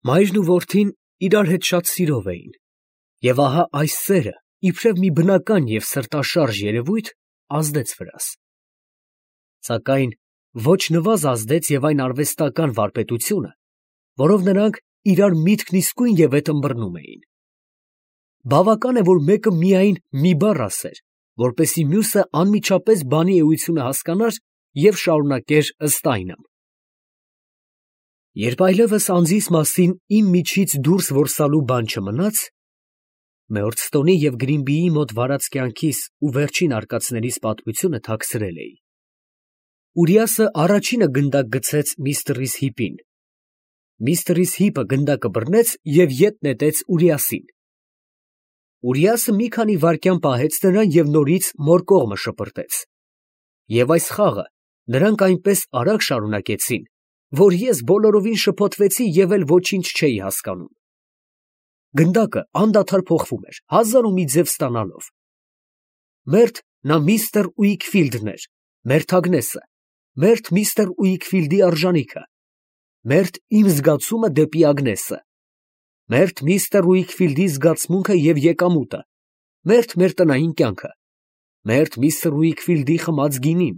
Մայրն ու որդին իրար հետ շատ սիրով էին, և ահա այս սերը, իբրև մի բնական և սրտաշարժ երևույթ, ազդեց վրաս. սակայն ոչ նվազ ազդեց և այն արվեստական վարպետությունը, որով նրանք իրար միտքն իսկույն ևեթ ըմբռնում էին. բավական է, որ մեկը միայն մի բառ ասեր, որպեսզի մյուսը անմիջապես բանի էությունը հասկանար և շարունակեր ըստ այնմ. երբ այլևս անձիս մասին իմ միջից դուրս որսալու բան չմնաց, Մեորստոնի և Գրինբիի մոտ վարած կյանքիս ու վերջին արկածներիս պատմությունը թաքցրել էի. Ուրիասը առաջինը գնդակ գցեց միստր Հիպին. միստր Հիպը գնդակը բռնեց և ետ նետեց Ուրիասին. Ուրիասը մի քանի վայրկյան պահեց նրան և նորից մոր կողմը շպրտեց. և այս խաղը նրանք այնպես արագ շարունակեցին, որ ես բոլորովին շփոթվեցի և էլ ոչինչ չէի հասկանում. գնդակը անդադար փոխվում էր, հազար ու մի ձև ստանալով. մերթ նա միստր Ուիքֆիլդն էր, մերթ Ագնեսը, մերթ միստր Ուիքֆիլդի արժանիքը, մերթ իմ զգացումը դեպի Ագնեսը, մերթ միստր Ուիքֆիլդի զգացմունքը և եկամուտը, մերթ մեր տնային կյանքը, մերթ միստր Ուիքֆիլդի խմած գինին,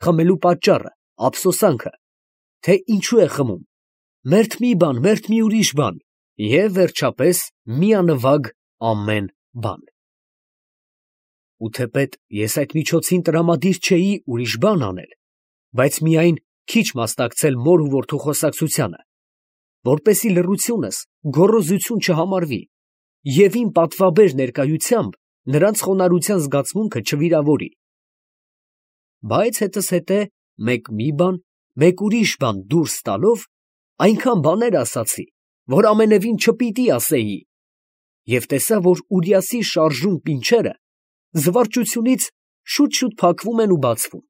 խմելու պատճառը, ափսոսանքը, թե ինչու է խմում, մերթ մի բան, մերթ մի ուրիշ բան, և վերջապես միանվագ ամեն բան։ Ու թեպետ ես այդ միջոցին տրամադիր չէի ուրիշ բան անել, բայց միայն քիչ մասնակցել մոր ու որդու խոսակցությանը, որպեսզի լռությունս գոռոզություն չհամարվի և իմ պատվաբեր ներկայությամբ նրանց խոնարհության զգացմունքը չվիրավորի։ Բայց հետզհետե մեկ մի բան, մեկ ուրիշ բան դուրս տալով, այնքան բաներ ասացի, որ ամենևին չպիտի ասեի, և տեսա, որ Ուրիասի շարժուն պինչերը զվարճությունից շուտ փակվում են ու բացվում։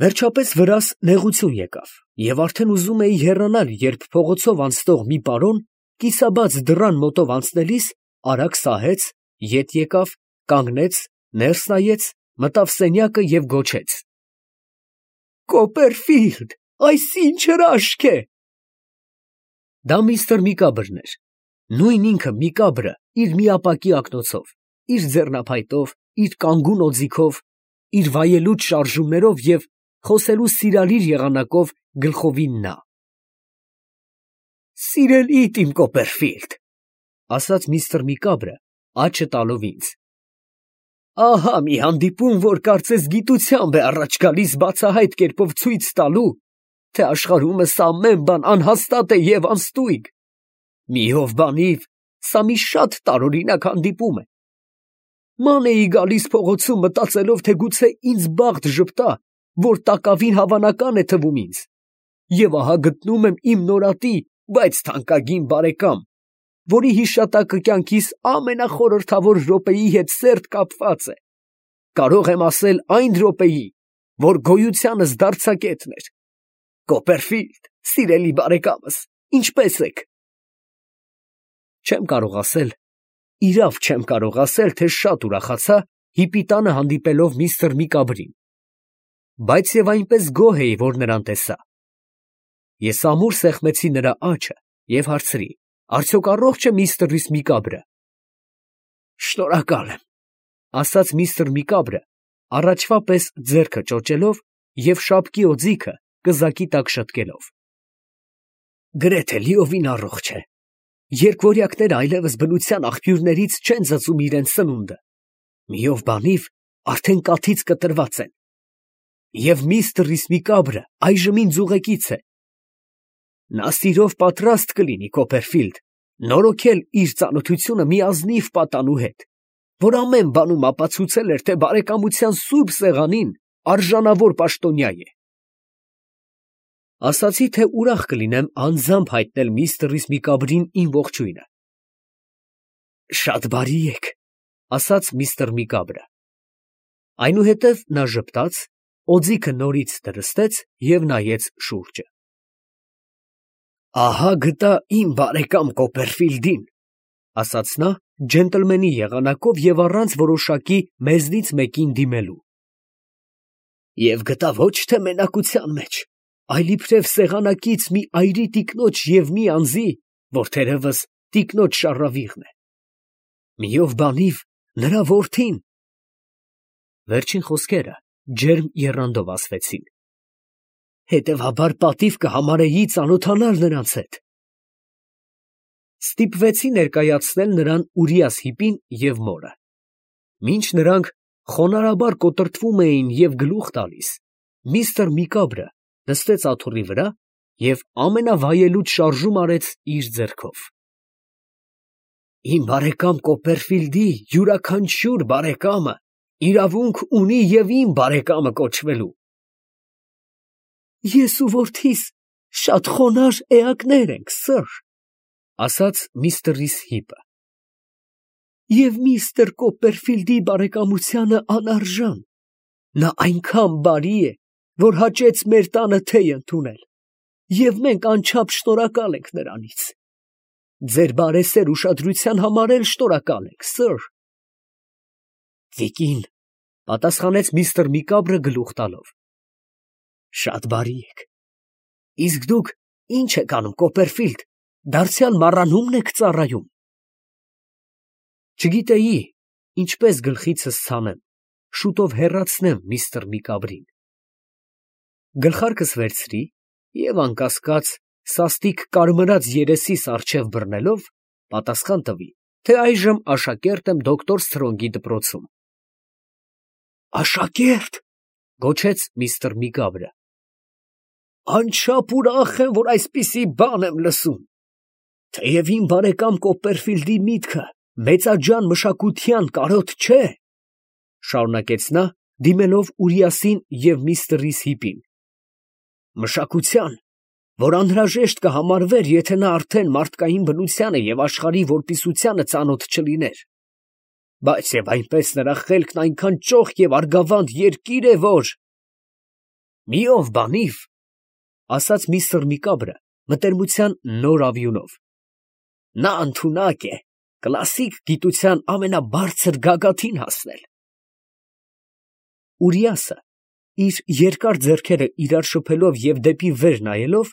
Վերջապես վրաս նեղություն եկավ, և արդեն ուզում էի հեռանալ, երբ փողոցով անցնող մի պարոն կիսաբաց դռան մոտով անցնելիս արագ սահեց, ետ եկավ, կանգնեց, ներս նայեց, մտավ սենյակը և գոչեց. «Կոպերֆիլդ, այս ի՞նչ հրաշք է»։ Դա միստր Միկաբրն էր, նույն ինքը Միկաբրը իր միապակի ակնոցով, իր ձեռնափայտով, իր կանգուն օձիքով, իր վայելուչ շարժումներով և խոսելու սիրալիր եղանակով գլխովին նա։ «Սիրելիդ իմ Կոպերֆիլդ, ֊ ասաց միստր Միկաբրը, աչը տալով ինձ, ֊ ահա մի հանդիպում, որ կարծես գիտությամբ է առաջ գալիս բացահայտ կերպով ցույց տալու, թե աշխարհումս ամեն բան անհաստատ է և անստույգ։ Մի ով բանիվ, սա մի շատ տարօրինակ հանդիպում է։ Ման էի գալիս փողոցում, մտածելով, թե գուցե ինձ բախտ ժպտա, որ տակավին հավանական է թվում ինձ, և ահա գտնում եմ իմ նորատի, բայց թանկագին բարեկամ, որի հիշատակը կյանքիս ամենախորհրդավոր րոպեի հետ սերտ կապված է, կարող եմ ասել այն րոպեի, որ գոյությանս դարձակետն էր։ Կոպերֆիլդ, սիրելի բարեկամս, ինչպե՞ս եք։ Չեմ կարող ասել, իրավ չեմ կարող ասել, թե շատ ուրախացա Հիպի տանը հանդիպելով միստր Միկաբրին, բայց և այնպես գոհ էի, որ նրան տեսա։ Ես ամուր սեղմեցի նրա աջը և հարցրի. «Արդյոք առողջ է միստր Միկաբրը»։ «Շնորհակալ եմ», ֊ ասաց միստր Միկաբրը, առաջվա պես ձեռքը ճոճելով և շապկի օձիքը կզակի տակ շտկելով։ «Գրեթե լիովին առողջ է։ Երկվորյակները այլևս բնության աղբյուրներից չեն ծծում իրենց սնունդը, մի ով բանիվ արդեն կաթից կտրված են։ Եվ միստր Միկաբրը այժմ ինձ ուղեկից է։ Նա սիրով պատրաստ կլինի, Կոպերֆիլդ, նորոգել իր ծանոթությունը մի ազնիվ պատանու հետ, որ ամեն բանում ապացուցել էր, թե բարեկամության սուրբ սեղանին արժանավոր պաշտոնյա է։ Ասացի, թե ուրախ կլինեմ անձամբ հայտնել միստր Միկաբրին իմ ողջույնը։ «Շատ բարի եք», ֊ ասաց միստր Միկաբրը։ Այնուհետև նա ժպտաց, օձիքը նորից դրստեց և նայեց շուրջը։ «Ահա գտա իմ բարեկամ Կոպերֆիլդին», ֊ ասաց նա ջենտլմենի եղանակով և առանց որոշակի մեզնից մեկին դիմելու։ «Եվ գտա ոչ թե մենակության մեջ, այլ իբրև սեղանակից մի այրի տիկնոջ և մի անձի, որ թերևս տիկնոջ շառավիղն է։ Միով բանիվ նրա որդին։ Վերջին խոսքերը ջերմ եռանդով ասվեցին։ Հետևաբար պատիվ կհամարեի ծանոթանալ նրանց հետ։ Ստիպվեցի ներկայացնել նրան Ուրիաս հիպին և մորը։ Մինչ նրանք խոնարհաբար կոտրտվում էին և գլուխ տալիս, միստր Միկաբրը նստեց աթոռի վրա և ամենավայելուչ շարժում արեց իր ձեռքով։ Իմ բարեկամ Կոպերֆիլդի յուրաքանչյուր բարեկամը իրավունք ունի և իմ բարեկամը կոչվելու։ Ես ու որդիս շատ խոնարհ էակներ ենք, սըր, ասաց միստր Հիպը։ Եվ միստր Կոպերֆիլդի բարեկամությանը անարժան։ Նա այնքան բարի է, որ հաճեց մեր տանը թեյ ընդունել, և մենք անչափ շնորհակալ ենք նրանից։ Ձեր բարեսեր ուշադրության համար էլ շնորհակալ ենք, սըր։ Տիկին, պատասխանեց միստր Միկաբրը գլուխ տալով։ Շատ բարի եք։ Իսկ դուք ի՞նչ եք անում, Կոպերֆիլդ, դարձյալ մառանո՞ւմն եք ծառայում։ Չգիտեի ինչպես գլխիցս ցանեմ, շուտով հեռացնեմ միստր Միկաբրին։ Գլխարկս վերցրի և անկասկած սաստիկ կարմրած երեսիս առջև բռնելով, պատասխան տվի, թե այժմ աշակերտ եմ դոկտոր Սթրոնգի դպրոցում։ Աշակե՞րտ, գոչեց միստր Միկաբրը։ Անչափ ուրախ եմ, որ այսպիսի բան եմ լսում։ Թեև իմ բարեկամ Կոպերֆիլդի միտքը մեծաձան մշակության կարոտ չէ, շարունակեց նա, դիմելով Ուրիասին և միստր Հիպին։ Մշակության, որ անհրաժեշտ կհամարվեր, եթե նա արդեն մարդկային բնությանը և աշխարհի որպիսությանը ծանոթ չլիներ։ Բայց և այնպես նրա խելքն այնքան ճոխ և արգավանդ երկիր է, որ… Մի ով բանիվ, ասաց միստր Միկաբրը մտերմության նոր ավյունով, նա ընդունակ է կլասիկ գիտության ամենաբարձր գագաթին հասնել։ Ուրիասը, իր երկար ձեռքերը իրար շփելով և դեպի վեր նայելով,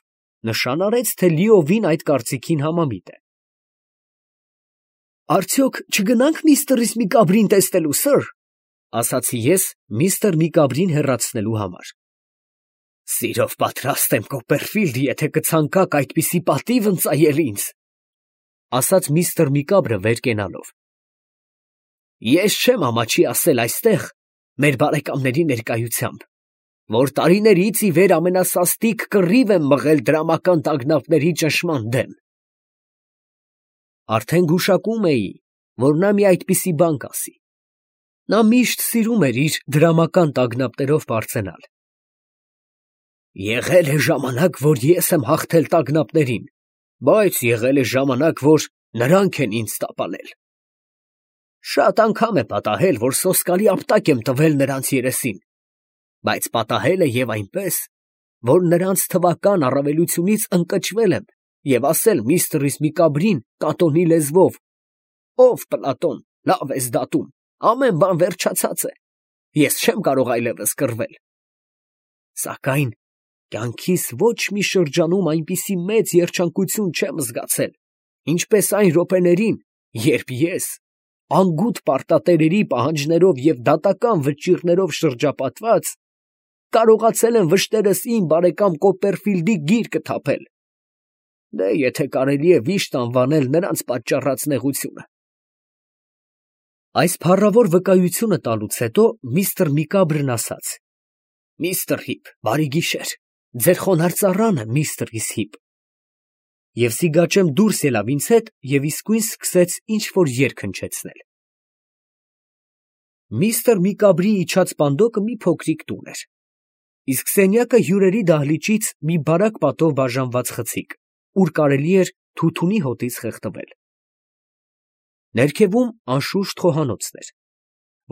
նշան արեց, թե լիովին այդ կարծիքին համամիտ է։ Արդյոք չգնա՞նք միստր Միկաբրին տեսնելու, սըր, ասացի ես միստր Միկաբրին հեռացնելու համար։ Սիրով պատրաստ եմ, Կոպերֆիլդ, եթե կցանկաք այդպիսի պատիվ ընծայել ինձ, ասաց միստր Միկաբրը վեր կենալով։ Ես չեմ ամաչի ասել այստեղ, մեր բարեկամների ներկայությամբ, որ տարիներից ի վեր ամենասաստիկ կռիվ եմ մղել դրամական տագնապների ճնշման դեմ։ Արդեն գուշակում էի, որ նա մի այդպիսի բան կասի։ Նա միշտ սիրում էր իր դրամական տագնապներով պարծենալ։ Եղել է ժամանակ, որ ես եմ հաղթել տագնապներին, բայց եղել է ժամանակ, որ նրանք են ինձ տապալել։ Շատ անգամ է պատահել, որ սոսկալի ապտակ եմ տվել նրանց երեսին, բայց պատահել է և այնպես, որ նրանց թվական առավելությունից ընկճվել եմ և ասել միստր Միկաբրին կատոնի լեզվով. ով Պլատոն, լավ ես դատում, ամեն բան վերջացած է, ես չեմ կարող այլևս կռվել։ Սակայն կյանքիս ոչ մի շրջանում այնպիսի մեծ երջանկություն չեմ զգացել, ինչպես այն րոպեներին, երբ ես, անգութ պարտատերերի պահանջներով և դատական վճիռներով շրջապատված, կարողացել եմ վշտերս իմ բարեկամ Կոպերֆիլդի գիրկը թափել, դե եթե կարելի է վիշտ անվանել նրանց պատճառած նեղությունը։ Այս փառավոր վկայությունը տալուց հետո միստր Միկաբրն ասաց. Միստր Հիպ, բարի գիշեր, ձեր խոնարհ ծառան եմ, միստր Հիպ։ Եվ Սիգաչեմ դուրս ելավ ինձ հետ և իսկույն սկսեց ինչ֊որ երգ հնչեցնել։ Միստր Միկաբրի իջած պանդոկը մի փոքրիկ տուն էր, իսկ սենյակը հյուրերի դահլիճից մի բարակ պատով բաժանված խցիկ, ուր կարելի էր թութունի հոտից խեղդվել։ Ներքևում անշուշտ խոհանոցն էր,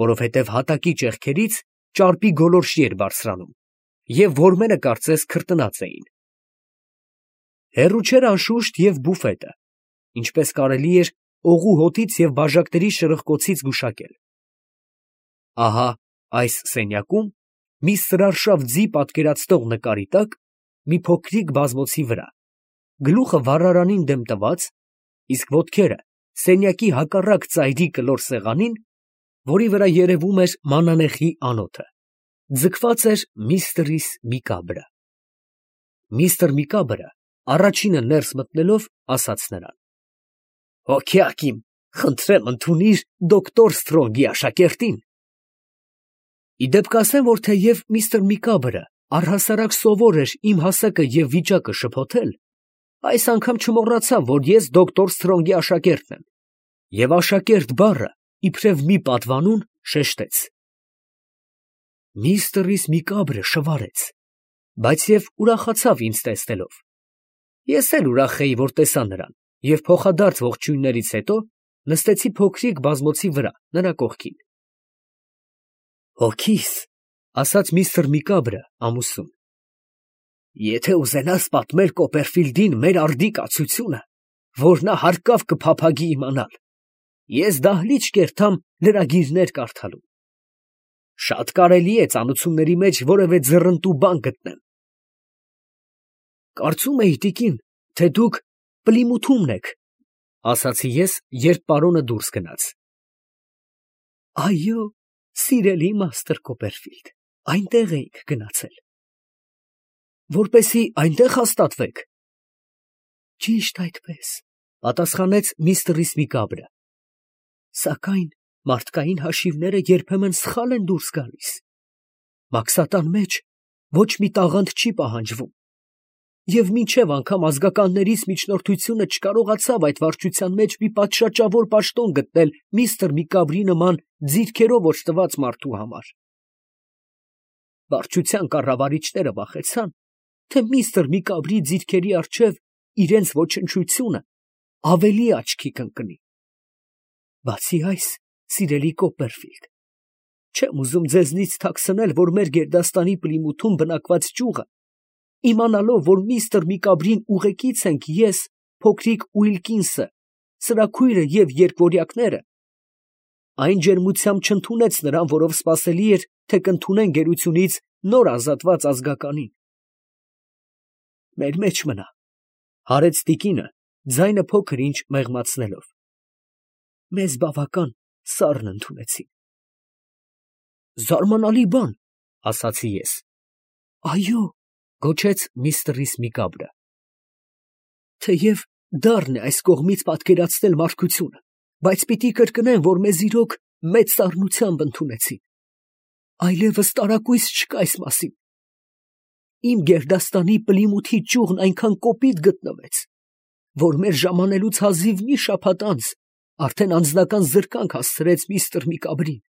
որովհետև հատակի ճեղքերից ճարպի գոլորշի էր բարձրանում, և որմենը կարծես քրտնած էին։ Հեռու չէր անշուշտ և բուֆետը, ինչպես կարելի էր օղու հոտից և բաժակների շրխկոցից գուշակել։ Ահա այս սենյակում, մի սրարշավ ձի պատկերացնող նկարի տակ, մի փոքրիկ բազմոցի վրա, գլուխը վառարանին դեմ տված, իսկ ոտքերը սենյակի հակառակ ծայրի կլոր սեղանին, որի վրա երևում էր մանանեխի անոթը, ձգված էր միստր Միկաբրը։ Միստր Միկաբրը առաջինը ներս մտնելով ասաց նրան. «Հոգյակ իմ, խնդրեմ ընդունիր դոկտոր Սթրոնգի աշակերտին»։ Իդեպ կասեմ, որ թեև միստր Միկաբրը առհասարակ սովոր էր իմ հասակը և վիճակը շփոթել, այս անգամ չմոռացավ, որ ես դոկտոր Սթրոնգի աշակերտն եմ, և աշակերտ բառը իբրև մի պատվանուն շեշտեց։ Միստր Միկաբրը շվարեց, բայց և ուրախացավ ինձ տեսնելով։ Ես էլ ուրախ էի, որ տեսա նրան, և փոխադարձ ողջույններից հետո նստեցի փոքրիկ բազմոցի վրա նրա կողքին։ «Հոգիս, ֊ ասաց միստր Միկաբրը ամուսուն, ֊ եթե ուզենաս պատմել Կոպերֆիլդին մեր արդի կացությունը, որ նա հարկավ կփափագի իմանալ, ես դահլիճ կերտամ լրագիրներ կարդալու։ Շատ կարելի է ծանոթությունների մեջ որևէ ձեռնտու բան գտնեմ։ Կարծում էի, տիկին, թե դուք Պլիմութումն եք, ֊ ասացի ես, երբ պարոնը դուրս գնաց։ Այո, սիրելի մաստր Կոպերֆիլդ, այնտեղ էինք գնացել։ Որպեսզի այնտեղ հաստատվեք։ Ճիշտ այդպես, ֊ պատասխանեց միստր Միկաբրը, սակայն մարդկային հաշիվները երբեմն սխալ են դուրս գալիս։ Մաքսատան մեջ ոչ մի տաղանդ չի պահանջվում, և մինչև անգամ ազգականներից միջնորդությունը չկարողացավ այդ վարչության մեջ մի պատշաճավոր պաշտոն գտնել միստր Միկաբրի նման ձիրքերով օժտված մարդու համար։ Վարչության կառավարիչները վախեցան, թե միստր Միկաբրի ձիրքերի առջև իրենց ոչնչությունը ավելի աչքի կընկնի։ Բացի այս, սիրելի Կոպերֆիլդ, չեմ ուզում ձեզնից թաքցնել, որ մեր գերդաստանի Պլիմութում բնակված ճյուղը, իմանալով, որ միստր Միկաբրին ուղեկից ենք ես, փոքրիկ Ուիլկինսը, սրա քույրը և երկվորյակները, այն ջերմությամբ չընդունեց նրան, որով սպասելի էր, թե կընդունեն գերությունից նոր ազատված ազգականին։ Մեր մեջ մնա, ֊ հարեց տիկինը, ձայնը փոքր ինչ մեղմացնելով, մեզ բավական սառն ընդունեցին։ Զարմանալի բան, ֊ ասացի ես։ Այո, ֊ գոչեց միստր Միկաբրը, թեև դառն է այս կողմից պատկերացնել մարդկությունը, բայց պիտի կրկնեմ, որ մեզ իրոք մեծ սառնությամբ ընդունեցին։ Այլևս տարակույս չկա այս մասին։ Իմ գերդաստանի Պլիմութի ճյուղն այնքան կոպիտ գտնվեց, որ մեր ժամանելուց հազիվ մի շաբաթ անց արդեն անձնական զրկանք հասցրեց միստր Միկաբրին։